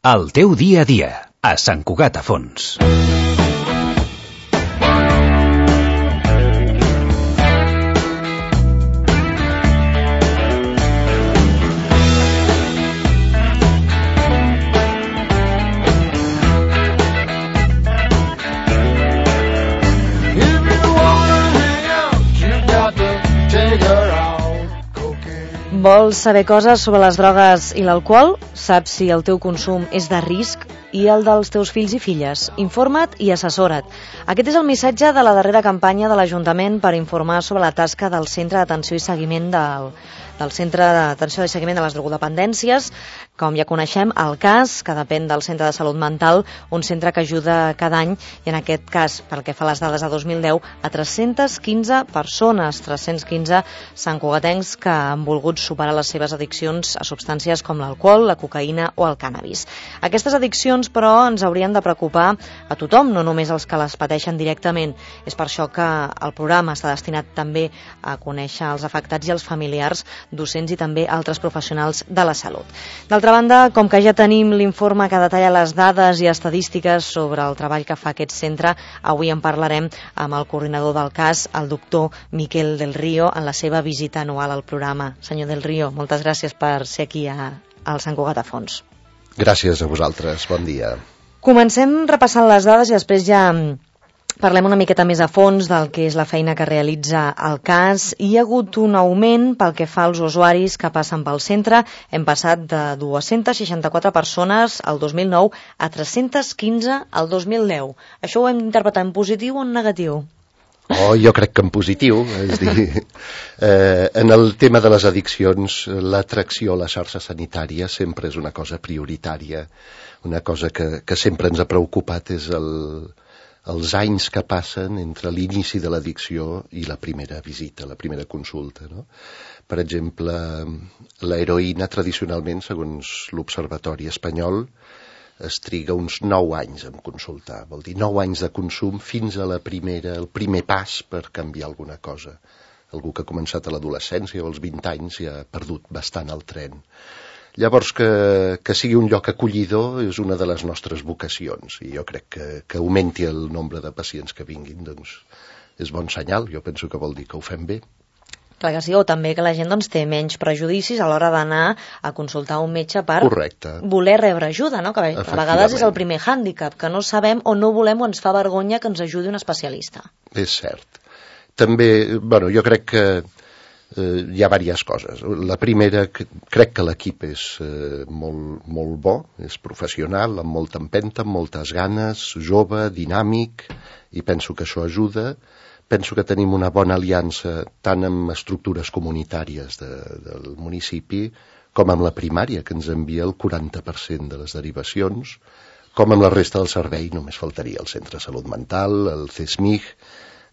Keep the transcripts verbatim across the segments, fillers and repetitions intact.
El teu dia a dia, a Sant Cugat a Fons. Vols saber coses sobre les drogues i l'alcohol? Saps si el teu consum és de risc i el dels teus fills i filles? Informa't i assessora't. Aquest és el missatge de la darrera campanya de l'Ajuntament per informar sobre la tasca del Centre d'Atenció i Seguiment del, del Centre d'Atenció i Seguiment de les Drogodependències, com ja coneixem, el C A S, que depèn del Centre de Salut Mental, un centre que ajuda cada any, i en aquest cas, pel que fa a les dades de dos mil deu, a tres-centes quinze persones, tres-cents quinze santcugatencs que han volgut superar les seves addiccions a substàncies com l'alcohol, la cocaïna o el cànnabis. Aquestes addiccions, però, ens haurien de preocupar a tothom, no només els que les pateixen directament. És per això que el programa està destinat també a conèixer els afectats i els familiars, docents i també altres professionals de la salut. D'altra banda, com que ja tenim l'informe que detalla les dades i estadístiques sobre el treball que fa aquest centre, avui en parlarem amb el coordinador del C A S, el doctor Miquel del Río, en la seva visita anual al programa. Senyor del Río, moltes gràcies per ser aquí a, al Sant Cugat a Fons. Gràcies a vosaltres, bon dia. Comencem repassant les dades i després ja parlem una miqueta més a fons del que és la feina que realitza el C A S. Hi ha hagut un augment pel que fa als usuaris que passen pel centre. Hem passat de dues-centes seixanta-quatre persones el dos mil nou a tres-centes quinze el dos mil deu. Això ho hem d'interpretar en positiu o en negatiu? Oh, jo crec que en positiu, és dir, eh, en el tema de les addiccions, l'atracció a la xarxa sanitària sempre és una cosa prioritària, una cosa que, que sempre ens ha preocupat és el, els anys que passen entre l'inici de l'addicció i la primera visita, la primera consulta, no? Per exemple, l'heroïna tradicionalment, segons l'Observatori Espanyol, es triga uns nou anys en consultar, vol dir nou anys de consum fins a la primera, el primer pas per canviar alguna cosa. Algú que ha començat a l'adolescència o als vint anys ja ha perdut bastant el tren. Llavors, que, que sigui un lloc acollidor és una de les nostres vocacions, i jo crec que, que augmenti el nombre de pacients que vinguin, doncs és bon senyal, jo penso que vol dir que ho fem bé. Clar que sí, o també que la gent doncs, té menys prejudicis a l'hora d'anar a consultar un metge per Correcte. voler rebre ajuda, no? Que a vegades és el primer hàndicap, que no sabem o no volem o ens fa vergonya que ens ajudi un especialista. És cert. També, bueno, jo crec que eh, hi ha diverses coses. La primera, que, crec que l'equip és eh, molt, molt bo, és professional, amb molta empenta, amb moltes ganes, jove, dinàmic, i penso que això ajuda. Penso que tenim una bona aliança tant amb estructures comunitàries de, del municipi com amb la primària, que ens envia el quaranta per cent de les derivacions, com amb la resta del servei, només faltaria el Centre de Salut Mental, el C E S M I G,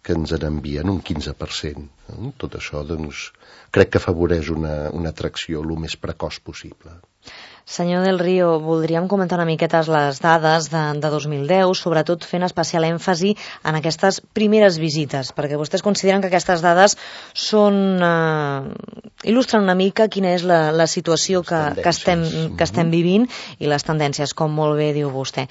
que ens n'envien un quinze per cent. Tot això, doncs, crec que afavoreix una, una atracció el més precoç possible. Senyor del Río, voldríem comentar una miqueta les dades de, de dos mil deu, sobretot fent especial èmfasi en aquestes primeres visites, perquè vostès consideren que aquestes dades són, eh, il·lustren una mica quina és la, la situació que, que, estem, que estem vivint i les tendències, com molt bé diu vostè.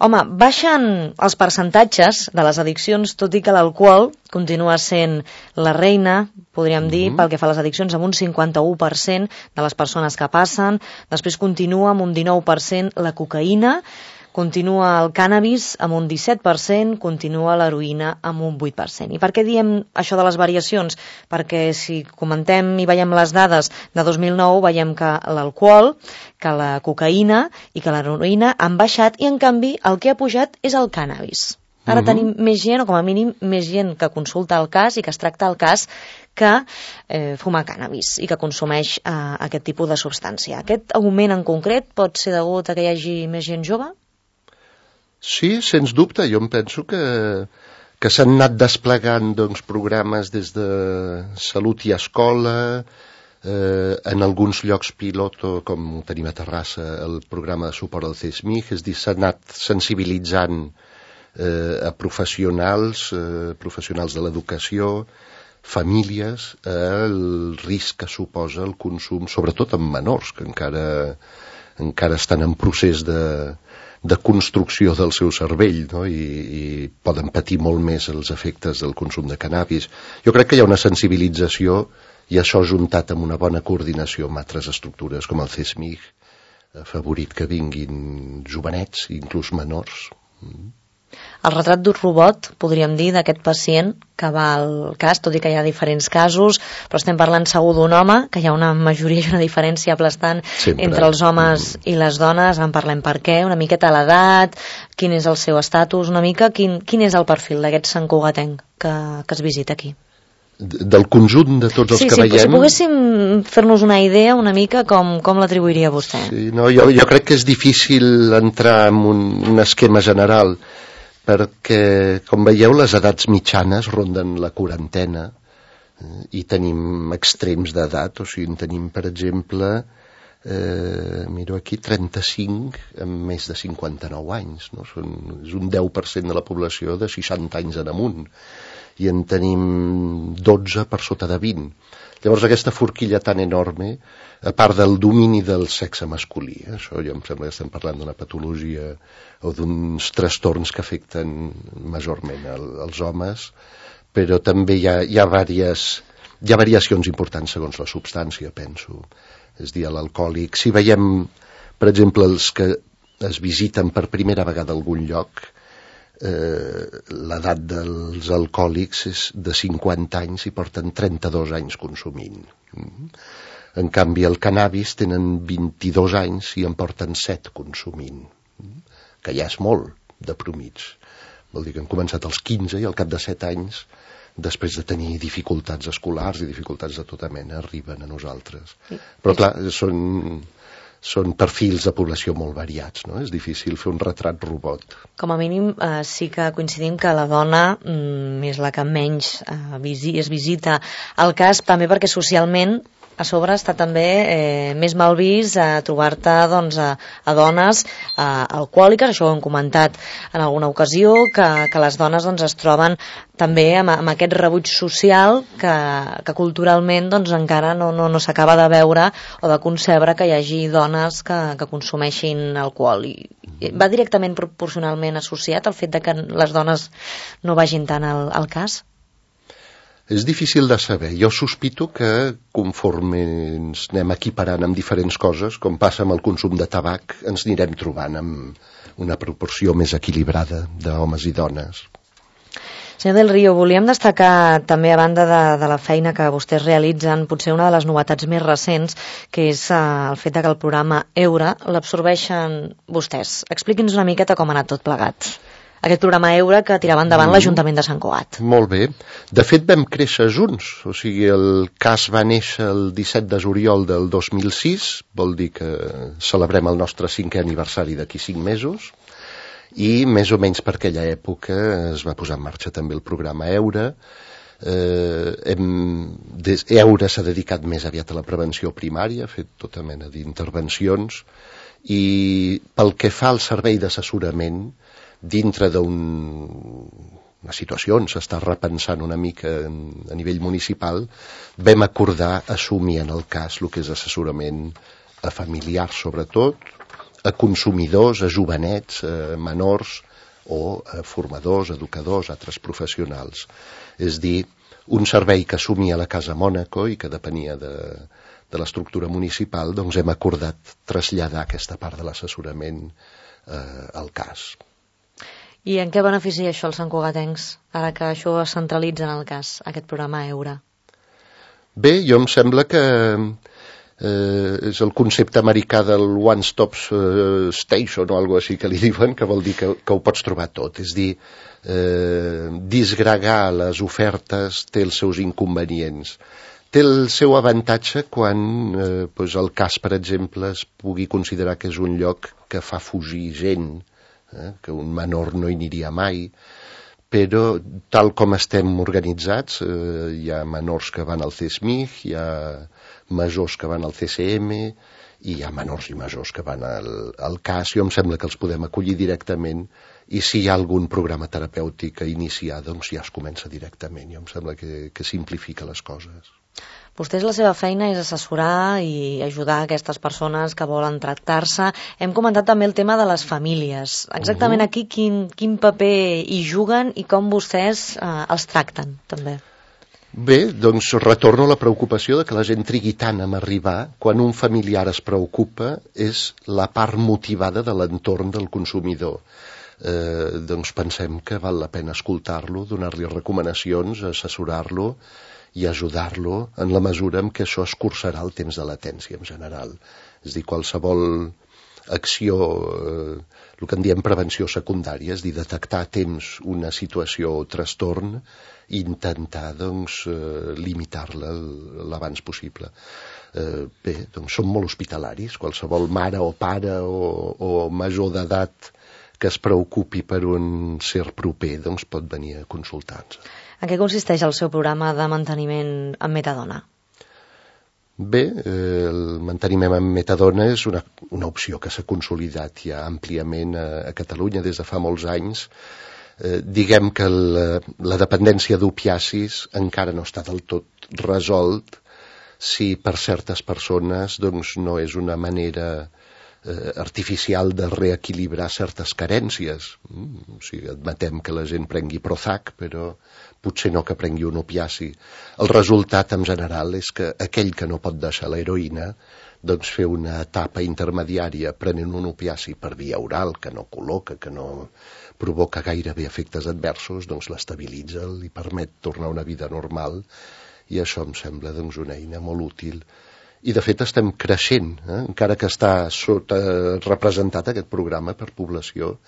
Home, baixen els percentatges de les addiccions, tot i que l'alcohol continua sent la reina, podríem dir, mm-hmm. pel que fa a les addiccions, amb un cinquanta-u per cent de les persones que passen. Després continua amb un dinou per cent la cocaïna, continua el cànnabis amb un disset per cent, continua l'heroïna amb un vuit per cent. I per què diem això de les variacions? Perquè si comentem i veiem les dades de dos mil nou, veiem que l'alcohol, que la cocaïna i que l'heroïna han baixat i, en canvi, el que ha pujat és el cànnabis. Ara uh-huh. tenim més gent, o com a mínim més gent que consulta el C A S i que es tracta el C A S que eh, fuma cànnabis i que consumeix eh, aquest tipus de substància. Aquest augment en concret pot ser degut a que hi hagi més gent jove? Sí, sens dubte. Jo em penso que, que s'han anat desplegant doncs, programes des de salut i escola, eh, en alguns llocs pilot, com tenim a Terrassa, el programa de suport al C E S M I G, és dir, s'ha anat sensibilitzant eh, a professionals, eh, professionals de l'educació, famílies, eh, el risc que suposa el consum, sobretot en menors, que encara encara estan en procés de, de construcció del seu cervell, no? I, i poden patir molt més els efectes del consum de cannabis. Jo crec que hi ha una sensibilització, i això juntat amb una bona coordinació amb altres estructures com el C S M I C, favorit que vinguin jovenets, inclús menors. El retrat d'un robot, podríem dir, d'aquest pacient que va al cas, tot i que hi ha diferents casos, però estem parlant segur d'un home, que hi ha una majoria i una diferència aplastant Sempre. entre els homes mm. i les dones. En parlem per què, una miqueta l'edat, quin és el seu estatus, una mica, quin, quin és el perfil d'aquest santcugatenc que, que es visita aquí? Del conjunt de tots els sí, que sí, veiem... Si poguéssim fer-nos una idea una mica, com, com l'atribuiria vostè? Sí, no, jo, jo crec que és difícil entrar en un, un esquema general, perquè, com veieu, les edats mitjanes ronden la quarantena eh, i tenim extrems d'edat, o sigui, tenim, per exemple, eh, miro aquí, trenta-cinc amb més de cinquanta-nou anys, no? Són, és un deu per cent de la població de seixanta anys en amunt, i en tenim dotze per sota de vint. Llavors aquesta forquilla tan enorme, a part del domini del sexe masculí, eh, això ja em sembla que estem parlant d'una patologia o d'uns trastorns que afecten majorment el, els homes, però també hi ha, hi ha, vàries, hi ha variacions importants segons la substància, penso. És a dir, l'alcohòlic, si veiem, per exemple, els que es visiten per primera vegada a algun lloc, Eh, l'edat dels alcohòlics és de cinquanta anys i porten trenta-dos anys consumint. Mm. En canvi, el cannabis tenen vint-i-dos anys i en porten set consumint, mm. que ja és molt de promig. Vol dir que han començat als quinze i al cap de set anys, després de tenir dificultats escolars i dificultats de tota mena, arriben a nosaltres. Però clar, són... són perfils de població molt variats, no? És difícil fer un retrat robot. Com a mínim eh, sí que coincidim que la dona mm, és la que menys eh, visi, es visita al cas, també perquè socialment a sobre està també eh, més mal vist a trobar-te doncs, a, a dones eh, alcohòliques, això ho hem comentat en alguna ocasió, que, que les dones doncs, es troben també amb, amb aquest rebuig social que, que culturalment doncs, encara no, no, no s'acaba de veure o de concebre que hi hagi dones que, que consumeixin alcohol. I va directament proporcionalment associat al fet de que les dones no vagin tant al, al cas? És difícil de saber. Jo sospito que conforme ens anem equiparant amb diferents coses, com passa amb el consum de tabac, ens anirem trobant amb una proporció més equilibrada d'homes i dones. Senyor del Río, volíem destacar també, a banda de, de la feina que vostès realitzen, potser una de les novetats més recents, que és eh, el fet de que el programa Eura l'absorbeixen vostès. Expliqui'ns una miqueta com ha anat tot plegat. Aquest programa Eura que tirava endavant mm. l'Ajuntament de Sant Cugat. Molt bé. De fet, vam créixer junts. O sigui, el cas va néixer el disset de juliol del dos mil sis, vol dir que celebrem el nostre cinquè aniversari d'aquí cinc mesos, i més o menys per aquella època es va posar en marxa també el programa Eura. Eh, hem, des, Eura s'ha dedicat més aviat a la prevenció primària, ha fet tota mena d'intervencions, i pel que fa al servei d'assessorament, dintre d'una situació on s'està repensant una mica a nivell municipal, vam acordar assumir en el cas el que és assessorament a familiars sobretot, a consumidors, a jovenets, a menors o a formadors, educadors, altres professionals. És dir, un servei que assumia la Casa Mònaco i que depenia de, de l'estructura municipal, doncs hem acordat traslladar aquesta part de l'assessorament eh, al cas. I en què beneficia això els santcugatencs, ara que això es centralitza en el cas, aquest programa Eura? Bé, jo em sembla que eh, és el concepte americà del One Stop Station o alguna cosa així que li diuen, que vol dir que, que ho pots trobar tot. És dir, eh, disgregar les ofertes té els seus inconvenients. Té el seu avantatge quan eh, doncs el cas, per exemple, es pugui considerar que és un lloc que fa fugir gent, Eh, que un menor no hi aniria mai, però tal com estem organitzats, eh, hi ha menors que van al C S M I C, hi ha majors que van al C C M i hi ha menors i majors que van al, al cas. Jo em sembla que els podem acollir directament i si hi ha algun programa terapèutic a iniciar, doncs ja es comença directament. Jo em sembla que, que simplifica les coses. Vostès, la seva feina és assessorar i ajudar aquestes persones que volen tractar-se. Hem comentat també el tema de les famílies. Exactament uh-huh. aquí quin, quin paper hi juguen i com vostès eh, els tracten, també. Bé, doncs retorno a la preocupació de que la gent trigui tant en arribar. Quan un familiar es preocupa és la part motivada de l'entorn del consumidor. Eh, doncs pensem que val la pena escoltar-lo, donar-li recomanacions, assessorar-lo i ajudar-lo en la mesura en què això escurçarà el temps de latència en general. És a dir, qualsevol acció, eh, el que en diem prevenció secundària, és a dir, detectar a temps una situació o trastorn i intentar doncs, eh, limitar-la l'abans possible. Eh, bé, doncs som molt hospitalaris, qualsevol mare o pare o, o major d'edat que es preocupi per un ser proper doncs pot venir a consultar-nos. En què consisteix el seu programa de manteniment amb metadona? Bé, eh, el manteniment amb metadona és una, una opció que s'ha consolidat ja àmpliament a, a Catalunya des de fa molts anys. Eh, diguem que la, la dependència d'opiacis encara no està del tot resolt si per certes persones doncs, no és una manera eh, artificial de reequilibrar certes carències. Mm, o sigui, admetem que la gent prengui Prozac, però potser no que prengui un opiaci. El resultat en general és que aquell que no pot deixar l'heroïna doncs fer una etapa intermediària prenent un opiaci per via oral que no col·loca, que no provoca gairebé efectes adversos, doncs l'estabilitza, li permet tornar a una vida normal i això em sembla doncs, una eina molt útil. I de fet estem creixent, eh? Encara que està sota representat aquest programa per població,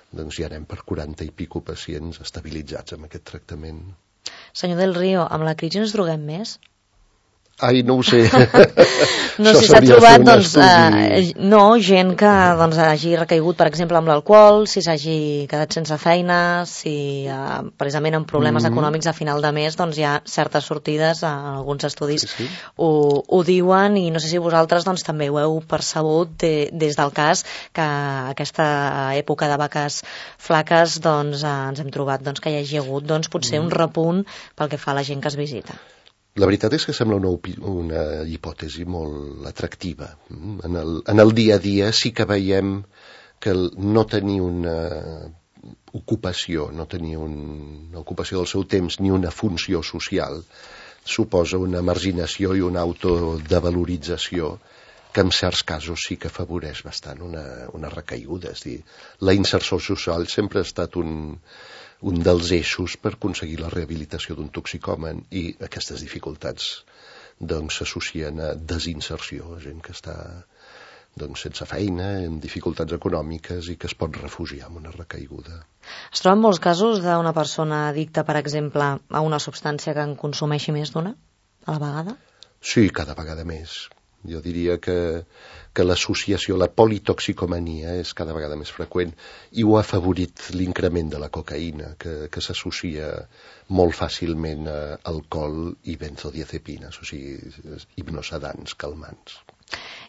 doncs ja anem per quaranta i pico pacients estabilitzats amb aquest tractament. Senyor Del Río, amb la crisi ens droguem més? Ai, no ho sé. No sé si s'ha trobat, doncs, eh, no, gent que doncs, hagi recaigut, per exemple, amb l'alcohol, si s'hagi quedat sense feina, si eh, precisament amb problemes mm. econòmics a final de mes, doncs hi ha certes sortides, eh, alguns estudis sí, sí. Ho, ho diuen, i no sé si vosaltres doncs, també ho heu percebut de, des del cas, que aquesta època de vaques flaques doncs, eh, ens hem trobat doncs, que hi hagi hagut doncs, potser mm. un repunt pel que fa a la gent que es visita. La veritat és que sembla una, una hipòtesi molt atractiva. En el, en el dia a dia sí que veiem que el no tenir una ocupació, no tenir un, una ocupació del seu temps ni una funció social suposa una marginació i una autodevalorització que en certs casos sí que afavoreix bastant una, una recaiguda. És dir, la inserció social sempre ha estat un... un dels eixos per aconseguir la rehabilitació d'un toxicòman i aquestes dificultats doncs s'associen a desinserció, a gent que està doncs, sense feina, amb dificultats econòmiques i que es pot refugiar en una recaiguda. Es troben molts casos d'una persona addicta, per exemple, a una substància que en consumeixi més d'una a la vegada? Sí, cada vegada més. Jo diria que, que l'associació, la politoxicomania és cada vegada més freqüent i ho ha afavorit l'increment de la cocaïna, que, que s'associa molt fàcilment a alcohol i benzodiazepines, o sigui, hipnosedants, calmants.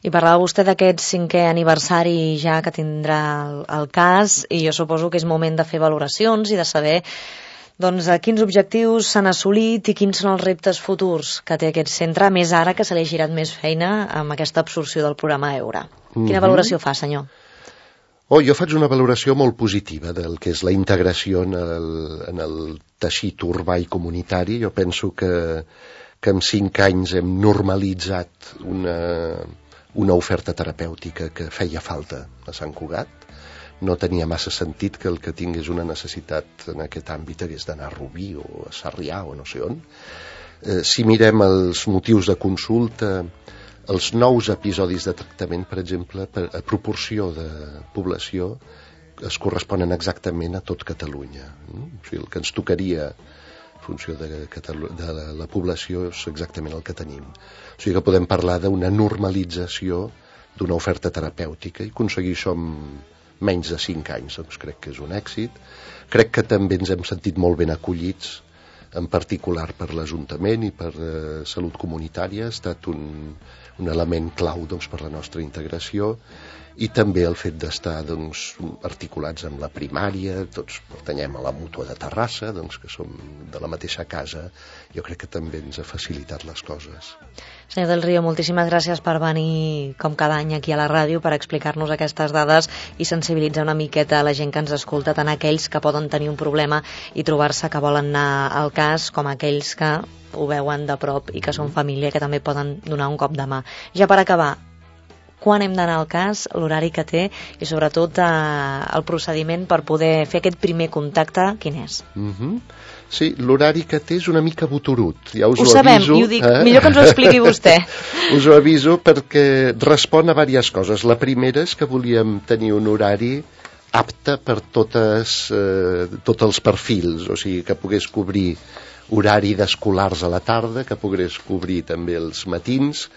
I parlava vostè d'aquest cinquè aniversari ja que tindrà el, el cas, i jo suposo que és moment de fer valoracions i de saber doncs, quins objectius s'han assolit i quins són els reptes futurs que té aquest centre, més ara que se li ha girat més feina amb aquesta absorció del programa Eura. Quina mm-hmm. valoració fa, senyor? Oh, jo faig una valoració molt positiva del que és la integració en el, en el teixit urbà i comunitari. Jo penso que, que en cinc anys hem normalitzat una, una oferta terapèutica que feia falta a Sant Cugat. No tenia massa sentit que el que tingués una necessitat en aquest àmbit hagués d'anar a Rubí o a Sarrià o no sé on. Eh, si mirem els motius de consulta, els nous episodis de tractament, per exemple, per, a proporció de població, es corresponen exactament a tot Catalunya. O sigui, el que ens tocaria en funció de, Catalu- de la, la població és exactament el que tenim. O sigui que podem parlar d'una normalització d'una oferta terapèutica i aconseguir això amb menys de cinc anys, doncs crec que és un èxit. Crec que també ens hem sentit molt ben acollits, en particular per l'Ajuntament i per eh, Salut Comunitària. Ha estat un, un element clau doncs, per la nostra integració i també el fet d'estar doncs, articulats amb la primària, tots pertanyem a la mútua de Terrassa, doncs, que som de la mateixa casa, jo crec que també ens ha facilitat les coses. Senyor del Río, moltíssimes gràcies per venir com cada any aquí a la ràdio per explicar-nos aquestes dades i sensibilitzar una miqueta a la gent que ens escolta, tant aquells que poden tenir un problema i trobar-se que volen anar al cas, com aquells que ho veuen de prop i que són família, que també poden donar un cop de mà. Ja per acabar, quan hem d'anar al cas, l'horari que té i sobretot eh, el procediment per poder fer aquest primer contacte, quin és? Mm-hmm. Sí, l'horari que té és una mica botorut, ja us ho ho sabem, aviso. I ho dic, eh? millor que ens ho expliqui vostè. Us ho aviso perquè respon a diverses coses. La primera és que volíem tenir un horari apte per totes, eh, tots els perfils, o sigui, que pogués cobrir horari d'escolars a la tarda, que pogués cobrir també els matins,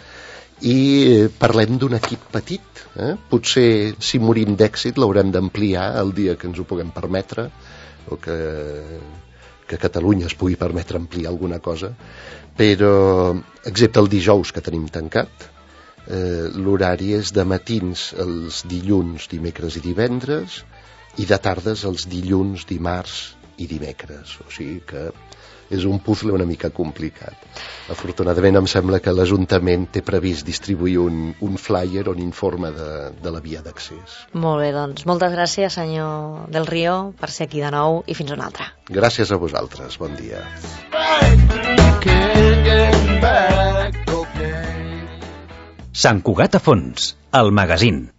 i parlem d'un equip petit, eh? Potser si morim d'èxit l'haurem d'ampliar el dia que ens ho puguem permetre, o que, que Catalunya es pugui permetre ampliar alguna cosa, però excepte el dijous que tenim tancat, eh, l'horari és de matins els dilluns, dimecres i divendres, i de tardes els dilluns, dimarts i dimecres, o sigui que és un puzzle una mica complicat. Afortunadament em sembla que l'Ajuntament té previst distribuir un, un flyer on informa de, de la via d'accés. Molt bé, doncs moltes gràcies, senyor del Río, per ser aquí de nou i fins una altra. Gràcies a vosaltres, bon dia. Sant Cugat a fons, el magazín.